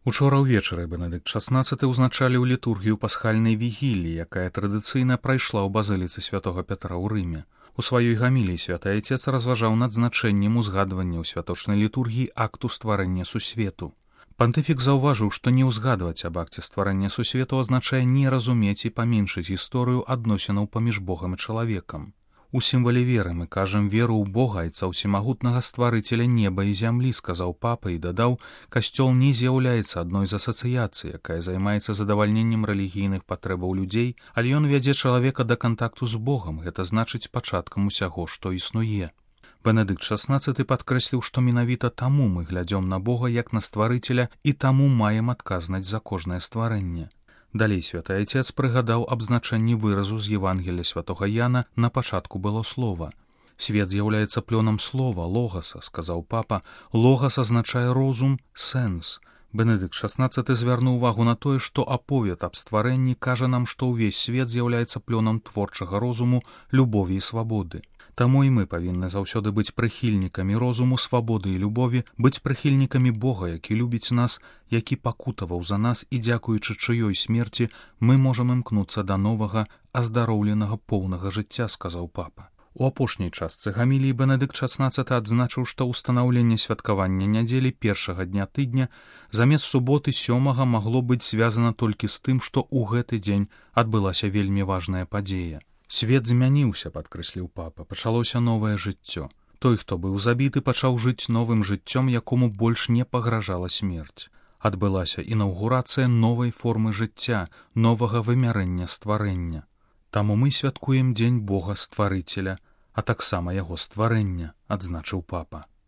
Учора ўвечары Бенедыкт XVI ўзначаліў літургію пасхальнай вігіліі, якая традыцыйна прайшла ў базыліцы святога Пятра ў Рыме. У сваёй гаміліі святы айцец разважаў над значэннем узгадвання ў святочнай літургіі акту стварэння сусвету. Пантыфік заўважыў, што не ўзгадваць аб акце стварэння сусвету азначае не разумець і паменшыць гісторыю адносінаў паміж Богам і чалавекам. У сімвале веры мы кажам веру ў Бога, айца ўсемагутнага стварыцеля неба і зямлі, сказаў папа і дадаў, касцёл не з'яўляецца адной з асацыяцый, якая займаецца задавальненнем рэлігійных патрэбаў людзей, але ён вядзе чалавека да кантакту з Богам, гэта значыць пачаткам усяго, што існуе. Бенедыкт XVI падкрэсліў, што менавіта таму мы глядзём на Бога як на стварыцеля і таму маем адказнасць за кожнае стварэнне. Далей святы айцец прыгадаў аб значэнні выразу з Евангелля святога Яна «На пачатку было слова». «Свет з'яўляецца плёнам слова, логаса», сказаў папа. «Логас азначае розум, сэнс». Бенедыкт XVI звярнуў увагу на тое, што аповед аб стварэнні кажа нам, што ўвесь свет з'яўляецца плёнам творчага розуму, любові і свабоды. Таму і мы павінны заўсёды быць прыхільнікамі розуму, свабоды і любові, быць прыхільнікамі Бога, які любіць нас, які пакутаваў за нас, і дзякуючы чыёй смерці мы можам імкнуцца да новага, аздароўленага поўнага жыцця, сказаў папа. У апошняй частцы гаміліі Бенедыкт XVI адзначыў, што ўстанаўленне святкавання нядзелі першага дня тыдня замест суботы 7-га магло быць звязана толькі з тым, што ў гэты дзень адбылася вельмі важная падзея. Свет змяніўся, падкрэсліў папа, пачалося новае жыццё. Той, хто быў забіты, пачаў жыць новым жыццём, якому больш не пагражала смерць. Адбылася інаўгурацыя новай формы жыцця, новага вымярэння стварэння. Таму мы святкуем дзень Бога-стварыцеля, а таксама яго стварэння, адзначыў папа.